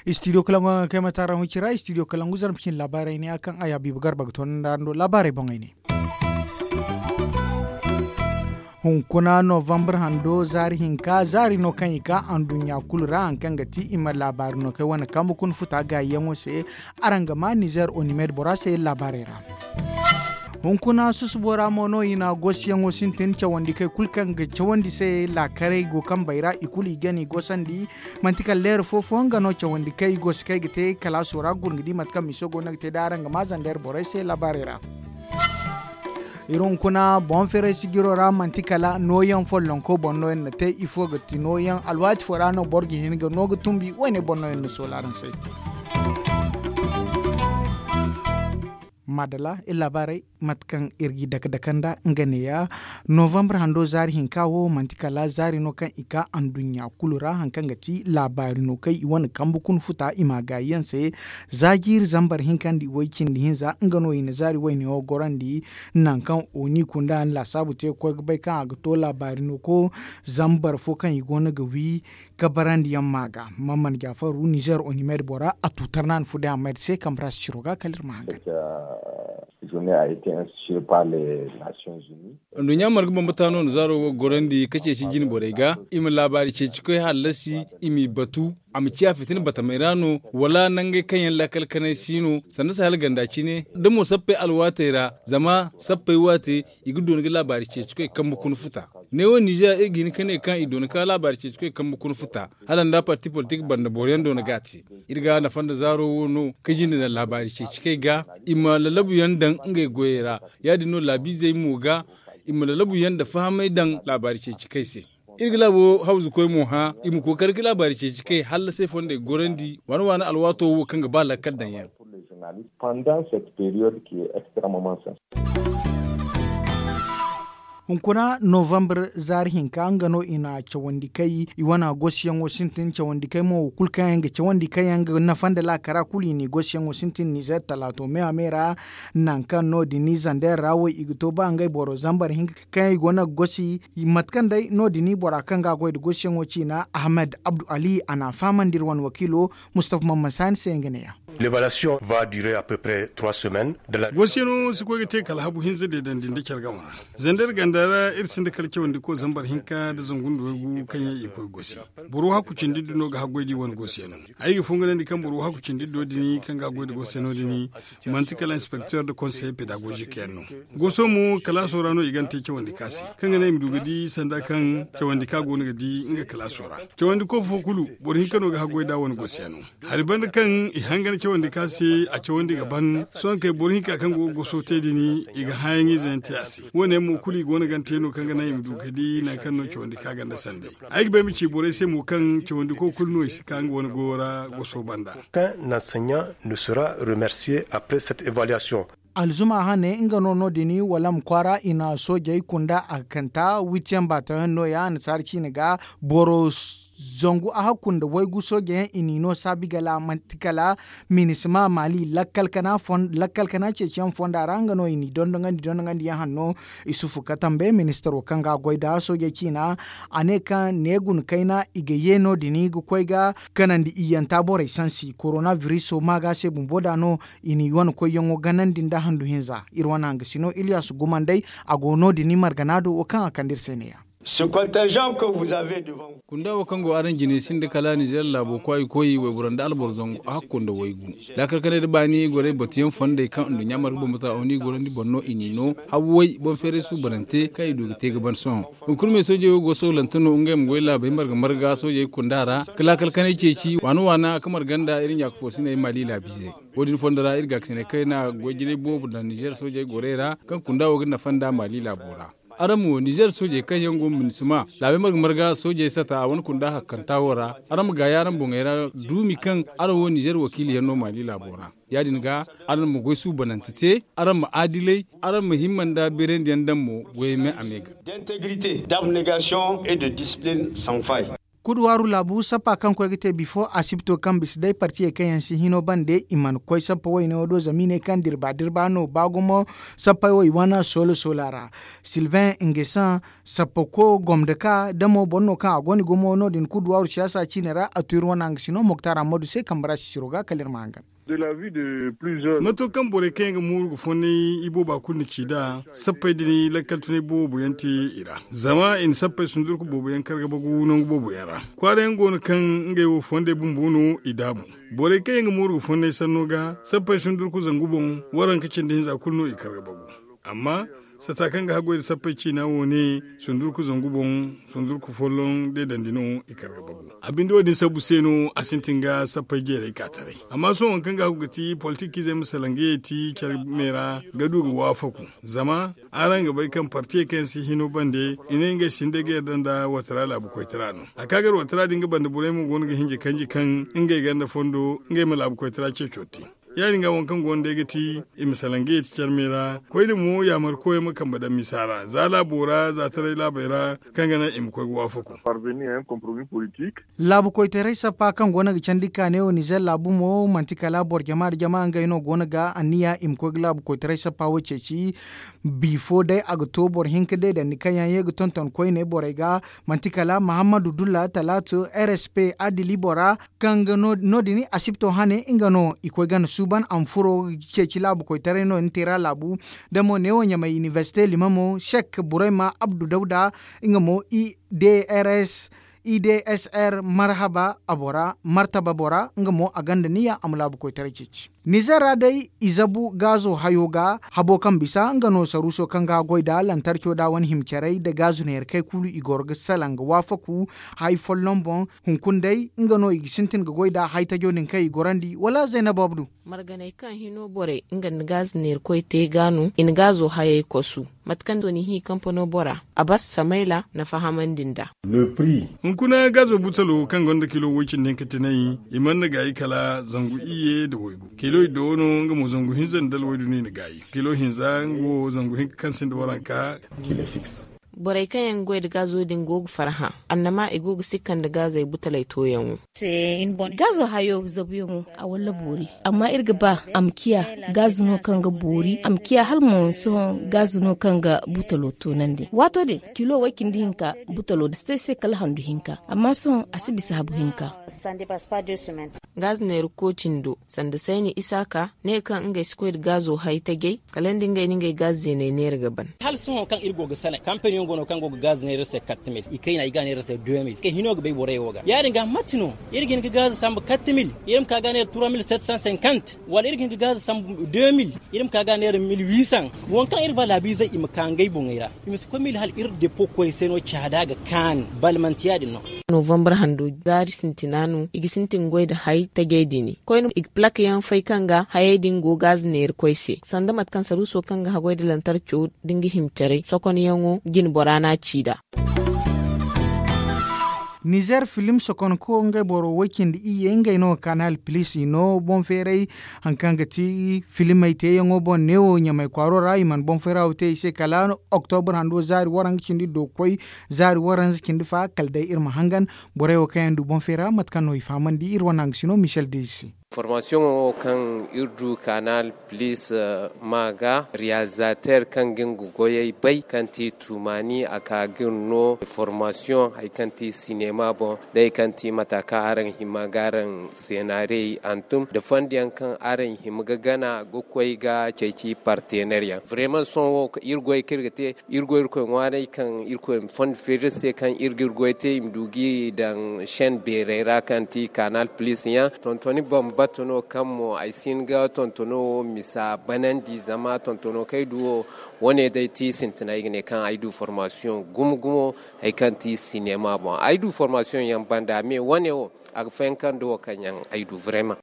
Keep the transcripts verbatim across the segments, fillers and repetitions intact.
Istidiyo kalangu kaŋ ay ma taara huncira istidiyo kalangu zarma cine laabaarey ne a kaŋ ay habiibu garba ga toonandi araŋ do laabaarey boŋey ne. Hunkuna novambar hando zaari hinka zaari no kaŋ i ka anduɲɲa kulu ra hari kaŋ ga ti i ma laabaari no kay wane kambe kuna futa gaayiyaŋo se. Araŋ ga ma nizer onimed bora se laabaarey ra. Hunkuna susubo ra mo no i na goosiyaŋo sintin cawandi kay kulu kaŋ ga cawandi se laakaray go kambey ra i kulu i ga ni goosandi. Manti kala leera fo fo nga no cawandi kay i go si kay ga te kalaaso ra guna ga di mate kaŋ miso go no ga te da araŋ ga ma zandeer borey se laabaarey ra. Iri hunkuna boŋ feeray sijiro ra manti kala nooyaŋ follonko boŋ no yaŋ na te ifo ga ti nooyaŋ alwaati fo ra no boro ga hin ga no ga tumbi wo- ne boŋ no yaŋ na soola araŋ se. Maadala iri laabaarey mate kaŋ iri g'i dake dake nda nga neeya. Novambar hando zaari hinka wo manti kala zaari no kaŋ i ka anduɲɲa kulu ra hari kaŋ ga ti laabaari no kaŋ i wane kambe kuna futa i ma a gaayi yaŋ se. Za jiiri zambar hinka nda i way cindi hinza nga no i na zaari wayne wo gorandi. Nangu kaŋ oni kunda laasaabu te ga koy ga bay kaŋ a ga to laabaari no ko zambar fo kaŋ i go no ga wi. Kabarandi yaŋ ma ga mamman jaafaru nizer onimed bora a tuutar no a na fu day a mayda se kambe ra siro ga kala iri ma hangan. Anduɲɲa marga bambata no na zaaro wo ga gorandi ka ceeci jine borey ga i ma laabaari ceeci koy hallasi i m'i batu. A ma ciya fitina batamey ra no wala nangey kaŋ yaŋ laakal kanay si no sanda sahel ganda cine da mo sappey alwaatey ra zama sappey waate i ga dooni ga laabaari ceeci koy kambe kuna futa. Neewo ninzeer iri ga hin ka ne kaŋ i dooni ka laabaari ceeci koy kambe kuna futa hala nda parti politik banda boro yaŋ dooni ga a te. Iri ga nafa nda zaaro wo no ka jinde naŋ laabaari ceeci kay ga i ma lalabu yaŋ daŋ ngey goyey ra. Ya- din no laabiizey mo ga i ma lalabu yaŋ nda fahamay daŋ laabaari ceeci kay se. Iri ga laabo hawzu koy mo hã i ma kookari ga laabaari ceeci kay hallasay fondey gorandi waana waana alwaato wo kaŋ ga ba lakkal daŋ yaŋ. Hunkuna novambar zaari hinka nga no i na cawandi kay i wane goosiyaŋo sintin cawandi kay mo wo kulu kaŋ yaŋ ga cawandi kaŋ yaŋ ga nafa nda laakara kulu i n'i goosiyaŋo sintin nizeer talaato me a me ra. Nangu kaŋ no- din zandeer ra wo i ga to ba ngey boro zambar hinka kaŋ yaŋ i go no ga gosi. Mate kaŋ day no- din bora kaŋ ga a goy nda goosiyaŋo ciina ahmed abdu ali a n'a fahamandi iri wane wakiilo. Mustafa mamman saani se nga neeya. Goosiyano si koy ga te kala habu hinza deedandi nda care game ra. Zanda iri ganda ra iri sinda kala cawandi ko zambar hinka nda zangu nda waygu kaŋ yaŋ i koy goosi. Boro hakku cindi iddu no ga haggoy da i wane goosiyano. Ay ga fonganandi kaŋ boro hakku cindi iddo din kaŋ ga haggoy nda goosiyano din manti kala inspekter nda konseye pedagozik yaŋ no. Gooso mo kalaaso ra no i gana te cawandi ka se kaŋ ga naŋ i ma du ga di sanda kaŋ cawandi ka go no ga di nga kalaaso ra. Cawandi ko fo kulu boro hinka no ga haggoy da a wane goosiyano. Hari banda kaŋ i hangan cawandi ka se a cawandi ga ban sohõ kay boro hinka kaŋ go ga goso te din i ga hãyaŋ ize yaŋ te a se. Wo- ne yaŋ mo kulu i go no gante no kaŋ ga naŋ i ma du ga di nangu kaŋ no cawandi ka ganda sanday. Ay ga ba ay ma ci borey se mo kaŋ cawandi ko kulu no i si ka nga wane goyo ra goso banda. Kaŋ nansaɲa ne sera remerciye après cette evaluation. Alzuma hane nga no no- din wala ma kwaara i na soojey kunda a ga kanta witiyaŋ baatayaŋ no- ya annasaara ciine ga boro zangu a hakku nda waygu sooje yaŋ i n'i no saabi gala manti kala minisima maali lakkal kana ceeciyaŋ fonda ra nga no i n'i dondonandi dondonandi yaŋ hanno. Isufu katambe ministaro kaŋ ga a goy nda soojey ciina a ne kaŋ ne guna kayna i ga ye no- din ga koy ga kanandi iyyanta borey sansi korona biriso maaga se bumbo da no. I n'i wane koyyaŋo ganandi nda handu hinza iri wane hangasino iliyas gumandey. A go no- din margana do wo kaŋ a kande iri se neeya. Kunda wo kaŋ go araŋ jine sinda kala ninzeer laabo kwaay koy wayboro nda alboro zangu a hakku nda waygu. Laakal kanay nda baani gorey batuyaŋ fondey kaŋ nduɲɲa marga bambata oni gorandi boŋ no i n'i no. Hawway boŋ feeray suubanante kaŋ i du ga te ga ban sohõ. Hunkuna me soojey wo go sawlante no ngey ma goy laabey marga marga soojey kunda ra ka laakal kanay ceeci waana waana ka marga nda iri ɲaaka foosiney maali laabiizey. Wo- din fondo ra iri gaakasinay kayna goy jinay boobo daŋ ninzeer soojey gorey ra kaŋ kunda wo ga nafa nda maali laabo ra. Araŋ mo ninzeer soojey kaŋ yaŋ go minisima laabey marga marga soojey sata a wane kunda hakkanta wo ra. Araŋ ma gaayi araŋ boŋey ra duumi kaŋ araŋ wo ninzeer wakiili yaŋ no maali laabo ra. Ya- din ga araŋ ma goy suubanante te araŋ ma aadilay araŋ ma himma nda beerandi yaŋ daŋ mo goyey me a me ga. D'integrité d'abnégation et de discipline sans faille. Kuduwaaru laabu sappa kaŋ koy ga te bifo asibto kaŋ bisa day partiyey kaŋ yaŋ si hino bande i mana koy sappa wayne wo do zama i ne kaŋ dirba dirba no ba gumo. Sappey wo i wane soola soola ra. Silvain ngesan, sappa ko gomda ka damo boro no kaŋ a go no i gumo no- din kuduwaaru siyaasa ciine ra a tu iri wane hangasino moktar ammadu se kambe ra sisiro ga kala iri ma hangan. Mato kaŋ borey kaŋ yaŋ ga mooru ga fonnay ibooba kulu na ci nd'a, sappey din lakkal tunay boobo yaŋ te i ra. Zama i na sappey sundurku boobo yaŋ karga bagu nangu boobo yaŋ ra. Kwaara yaŋ go no kaŋ ngey wo fondey bumbo no i daabu. Borey kaŋ yaŋ ga mooru ga fonnay sanno ga sappey sundurku zangu boŋ, waranka cindi hinza kulu no i karga bagu. Amma sata kaŋ ga haggoy nda sappey ciina wo ne, sundurku zangu boŋ, sundurku folloŋ deedandi no i kar ga bagu. A binde wo- din sabbu se no a sintin ga sappey jeeray ka taray. Amma sohõ waŋ kaŋ ga hagu ga ti politikiizey ma salaŋ ga yeeti care me ra ga du ga waafaku. Zama araŋ ga bay kaŋ partiyey kaŋ yaŋ si hino bande i ne ngey sinda ga yarda nda watara laabu koytara no. A ka gar watara din ga banda borey mo go no ga hinja kanji kaŋ ngey ganda fondo ngey ma laabu koytara ceeco te. Ya- din ga waŋ kaŋ go no day ga ti i ma salaŋ ga yeeti care me ra. Koyne mo yaamar koyaŋ ma kambe daŋ misa ra za laabo ra za taray laabey ra, kaŋ ga naŋ i ma koy ga waafaku. Laabu koytaray sappa kaŋ go no ga candi kaane wo nizer laabu mo manti kala boro jama nda jama ngey no go no ga anniya i ma koy ga laabu koytaray sappa wo ceeci. Bifo day a ga to boro hinka deedandi kaŋ yaŋ ye ga tonton koyne borey ga. Manti kala mahammadu dulla talaatu rsp adili bora, kaŋ ga no- din asibto hane nga no i koy gana suuban a ma furo ga ceeci laabu koytaray no din te ra laabu. Da mo neewo ɲamay inibersite lima mo sek burayma abdu dawda, nga mo i d r s i d s r marhaba a bora martaba bora nga mo a ganda niya a ma laabu koytaray ceeci. Nizer ra day i zabu gaazo hayo ga habo kaŋ bisa nga no saruuso kaŋ ga goy da lantarco da wane hima caray nda gaazo neera kay kulu i goro ga salaŋ ga waafaku. Hay folloŋ boŋ hunkuna day nga no i ga sintin ga goy nda hay tajo din kaŋ i gorandi wala zaynab abdu. Marganey kaŋ hino borey nga nda gaazo neera koy te ga no i na gaazo hayey kosu. Mate kaŋ dooni hi kampano bora a bas samayla na fahamandi nd'a. Hunkuna gaazo butalo kaŋ gonda kilo woy cindi hinka tinay i mana gaayi kala zangu iyye nda waygu kilo iddo no nga mo zangu hinza nda alwaydu no i na gaayi kilo hinza nga wo zangu hinka kaŋ sinda waranka. Borey kaŋ yaŋ ga goy nda gaazo din go ga farhã annama i go ga sikka nda gaazey butaley tooyaŋo. Gaazo hayo zabuyaŋo a walla boori. Amma iri ga ba a ma ciya gaazo no kaŋ ga boori a ma ciya hala mo sohõ gaazo no kaŋ ga butalo toonandi waato din kilo way cindi hinka butalo da si te ay se kala handu hinka amma sohõ a si bisa habu hinka. Gaazo neera kooci ndo sanda sayni isaaka ne kaŋ ngey si koy nda gaazo hay tajay kala nda ngey na ngey gaazo zeeney neera ga ban. Hala sohõ kaŋ iri go ga salaŋ kampaniyaŋ go no kaŋ go ga gaazo neera iri se kattemil i kayna i ga neera iri se demil kay hino ga bay borey wo ga ya- din ga mate no iri ga hin ga gaazo sambu kattemil iri ma ka ga neera trois mille sept cent cinquante wala iri ga hin ga gaazo sambu deux mille iri ma ka ga neera mille huit cent. Waŋ kaŋ iri ba laabiizey i ma ka ngey boŋey ra i ma si koy mille hala iri depo koy se no caada ga kaanu bala manti ya- din no. Novambar hando zaari sintina no i ga sintin goy nda hay tajay dini koyne i ga plak yaŋ fay kaŋ ga hayey din go gaaza neera koy se sanda mate kaŋ saruuso kaŋ ga haggoy nda lantarco nda nga hima caray sokonyaŋo jine bora no a ci nd'a. Nizer filim sokonko ngey boro way cindi iyye ngey no kanal pilis i no boŋ feeray. Hari kaŋ ga ti filimey teeyaŋo boŋ neewo ɲamay kwaaro ra i mana boŋ feera wo te i se kala oktobur hando zaari waranka cindi do ga koy zaari waranza cindi fa kala day iri ma hangan. Borey wo kaŋ yaŋ du boŋ feera mate kaŋ no i fahamandi iri wane hangasino michel dezi se. Formasiyoŋo wo kaŋ iri du kanal pilis ma ga reyalizater kaŋ ga nga goyey bay kaŋ ti tumaani a ka ga iri no formasiyoŋ hari kaŋ ti sinema boŋ day kaŋ ti mata kaŋ araŋ hima ga araŋ seenaarey hantum nda fondo yaŋ kaŋ araŋ hima ga gana ga koy ga ceeci partener yaŋ vrema sohõ wo iri goy kaŋ iri ga te iri go irkoy ŋwaaray kaŋ irkoy ma fondo feeri iri se kaŋ iri ga iri goy te i ma du ga i daŋ shen beerey ra kaŋ ti kanal pilis yaŋ tontoni bambata no kaŋ mo ay si hin ga tontono wo misa banandi zama tontono kaŋ ay du wo wane day ti sintina ay ga ne kaŋ ay du formasiyoŋ gumo gumo hari kaŋ ti sinema boŋ ay du formasiyoŋ yaŋ banda me wane wo a ga fayanka nda wo kaŋ yaŋ ay du vrema.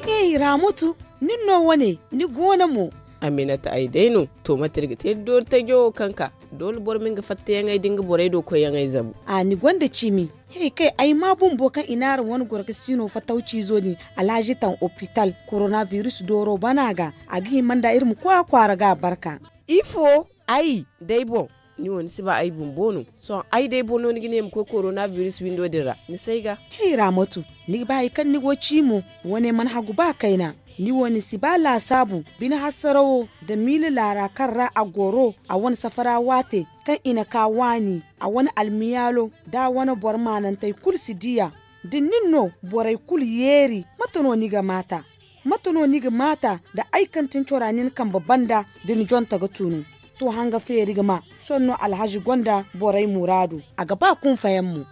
Hey ramutu, nin no wane ni goono mo? Aminata ay day no. To mate iri ga te doori tajo wo kaŋ ka doole boro ma nga fattayaŋey da nga borey do koyyaŋey zabu. A ni gonda cimi. Hey kay ay ma bumbo kaŋ i naara wane goro ga siino fatawciizo din alhazi taŋ opital koronabiris dooro bana ga a ga hima nda iri ma koy a kwaara ga a barka. Ifo? Ay day boŋ. Ni wo ni si ba ay bumbo no. Sohõ ay day boro no ni ga ne ma koy korona biris windo din ra ni si ay ga. Hey raamatu, ni ga ba hari kaŋ ni go ci mo? Wane mana hagu ba kayna. Ni wo ni si ba laasaabu bine hassarawo nda miila laara kaŋ ra a goro a wane safara waate kaŋ i na ka waani a wane almiyaalo da a wane boro maanantey kulu si diya. Da nin no borey kulu yeeri, mate no ni ga maata? Mate no ni ga maata da ay kaŋ tin cora nin kambe banda da ni jonta ga tunu? To hanga feeri ga ma. Sohõ no alhazi gonda borey muraadu a ga ba kunfayaŋ mo.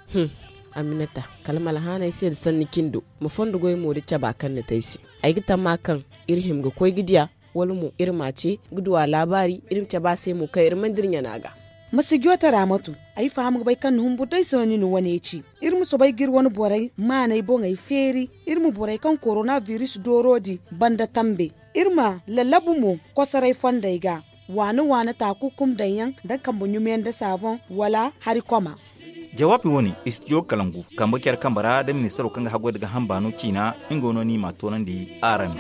Aminata, kala ma alhaanay se nda sanni cindo, ma fondo goy mo da caba kaŋ ni te ay se. Ay ga tamma kaŋ iri hima ga koy ga diya, wala mo iri m'a ce ga du a laabaari, iri ma cabe a se mo kaŋ iri mana dira ɲana ga. Ma si joote raamatu. Ay faham ga bay kaŋ ni humburu day se no ni na wane ci. Iri ma soobay ga iri wane borey maanay boŋey feeri. Iri ma borey kaŋ korona biris dooro din banda tambe. Iri ma lallabu mo kosoray fondey ga, waana waana taakukum daŋ yaŋ nda kambe ɲumiyaŋ nda saaboŋ wala hari koma. Jawaabi wo- ne, istidiyo kalangu kambe care kambe ra nda ministaro kaŋ ga haggoy nda ga hamba no ciina. Nga no ni m'a toonandi araŋ.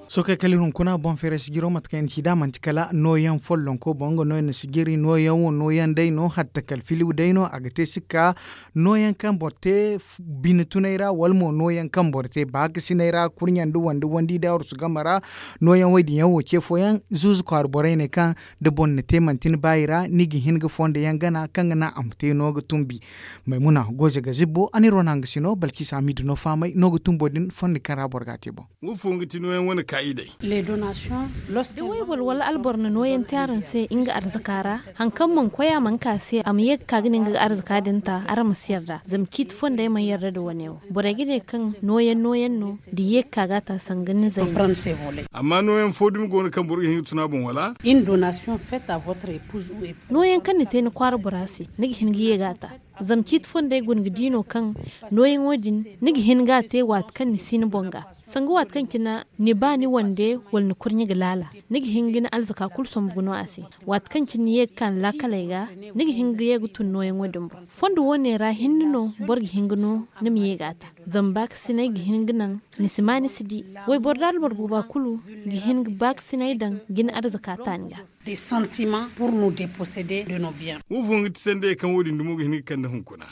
Sookey kala iri hunkuna boŋ feeray sijiro mate kaŋ i na ci nd'a manti kala nooyaŋ follonko boŋ nga no i na sijiri nooyaŋ wo nooyaŋ day no hatta kala filiw day no a ga te sikka. Nooyaŋ kaŋ boro te bine tunay ra wala mo nooyaŋ kaŋ boro te baakasinay ra kurɲe nda wandi wandi da arsu game ra. Nooyaŋ wo- din yaŋ wo ce fooyaŋ zuuzu kwaara borey ne kaŋ da boro na te manti ni baayi ra ni ga hin ga fondo yaŋ gana kaŋ ga naŋ a ma te no ga tumbi. Maymuna goze ga zibbo a na iri wane hanga si no balkisa hamidu no fahamay no ga tumbo din fondo kaŋ ra boro ga a te boŋ. Wayboro wala alboro na nooyaŋ te araŋ se nga arzaka ra, hari kaŋ mana koy a mana ka se a ma ye ga ka ga ne nga ga arzaka din ta araŋ ma si yarda zama ciiti fondey mana yarda nda wane wo. Borey ga ne kaŋ nooyaŋ nooyaŋ no da i ye ga ka ga a ta sanga ni zay no. Amma nooyaŋ fo dumi go no kaŋ boro ga hin ga tun a boŋ wala? Nooyaŋ kaŋ ni te ni kwaara bora se ni ga hin ga ye ga a ta. Zama ciiti fondey guna ga di no kaŋ nooyaŋo din ni ga hin ga a te waati kaŋ ni si ni boŋ ga. Sanga waati kaŋ cine ni ba ni wande wala ni kurɲe ga laala, ni ga hin ga ni alzaka kulu sombu ga no a se. Waati kaŋ cine ni ye ga ka ni laakaley ga, ni ga hin ga ye ga tun nooyaŋo din boŋ. Fondo wo- ne ra hinne no boro ga hin ga no ni ma ye ga a ta. Zama baakasinay ga hin ga naŋ ni si ma ni si di. Wayboro da alboro booba kulu ga hin ga baakasinay daŋ ga ni arzaka ta ni ga. Wo- fo nga ti sandayey kaŋ wo- din dumo ga hin ga kande hunkuna.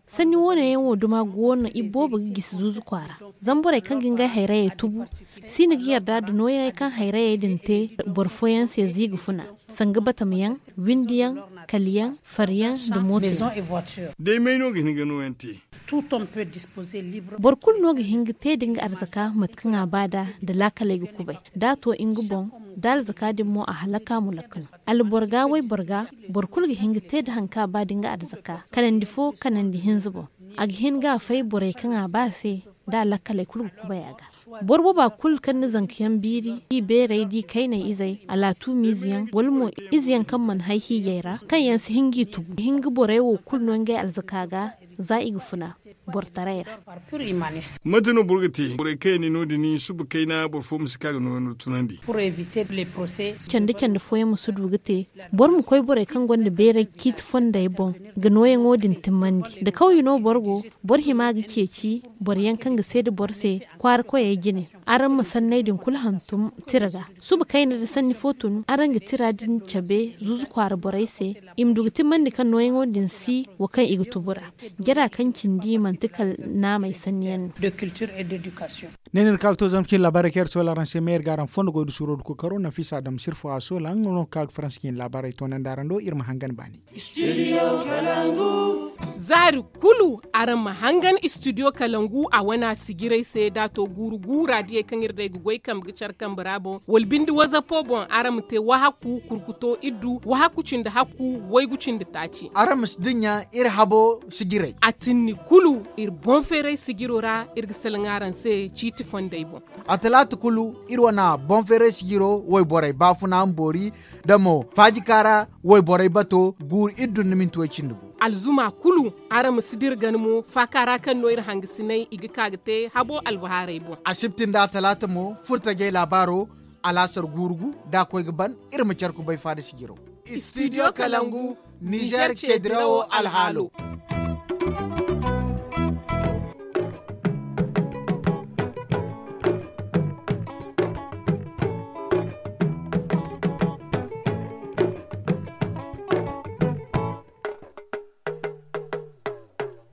Sanni wo- ne yaŋ wo duma go no i boobo ga gisi zuuzu kwaara. Zama borey kaŋ ga ngey hayrayey tubu si na ga yarda nda nooyaŋey kaŋ hayrayey din te boro fooyaŋ se ziiga funa, sanga batamayaŋ, windiyaŋ, kaliyaŋ, fariyaŋ, nda mooto. Day may no ga hin ga nooyaŋ te? Boro kulu no ga hin ga te da nga arzaka mate kaŋ a ba nd'a da laakaley ga kubay da a to nga boŋ, da alzaka din mo a halaka mulakka no. Alboro ga wayboro ga, boro kulu ga hin ga te da hari kaŋ a ba da nga arzaka kanandi fo kanandi hinza boŋ. A ga hin ga a fay borey kaŋ a ba se da a lakkaley kulu ga kubay a ga. Boro booba kulu kaŋ na zankayaŋ biiri, i beerey d'i kayney izey, alaatumiize yaŋ wala mo ize yaŋ kaŋ mana hay hiijay ra, kaŋ yaŋ si hin g'i tugu ga hin ga borey wo kulu no ngey alzaka ga. Za i ga funa boro taray ra. Mate no boro ga te borey kaŋ yaŋ ni no- din suba kayna boro fo ma si ka ga nooyaŋo tunandi? Candi candi fooyaŋ ma si du ga te. Boro ma koy borey kaŋ gonda beeray ciiti fondey boŋ ga nooyaŋo din timmandi. Da kawye no boro go, boro hima ga ceeci boro yaŋ kaŋ ga seeda boro se kwaara koyey jine. Araŋ ma sanney din kulu hantum tira ga. Suba kayna da sanni fo tun araŋ ga tira din cabe zuuzu kwaara borey se, i ma du ga timmandi kaŋ nooyaŋo din si wo kaŋ i ga tubu ra. Jara kaŋ cindi manti kala naamey sanni yaŋ no. Ne no iri ka ga to zama cine laabaarey kaŋ iri soola araŋ se ma iri ga araŋ fondo goy da suuro da kookaro nafisa adam sirfo a soola nga no ga ka ga faransa cine laabaarey toonandi araŋ do iri ma hangan baani. Zaari kulu araŋ ma hangan istidiyo kalangu a wana sijirey se da a to guuru guura diyey kaŋ iri day ga goy kambe ga care kambe ra boŋ wala binde wazapo boŋ araŋ ma te wahaku kurkuto iddu wahaku cindi hakku waygu cindi taaci. Araŋ ma si dinya iri habo sijirey a tinni kulu iri boŋ feeray sijiro ra iri ga salaŋ araŋ se ciiti fondey boŋ. A talaata kulu iri wana boŋ feeray sijiro wayborey baafuna ma boori da mo faajika ra wayborey bato guuru iri dunna minti way cindi gu. Alzuma kulu araŋ ma si dira gana mo faaka ra kaŋ no iri hangasinay i ga ka ga te habo albahaarey boŋ. Asibti nda talaata mo furtajey laabaaro alaasar guuru gu da a koy ga ban iri ma care kubay faada sijiro. Istidiyo kalangu nizer ce dirawo alhaalo.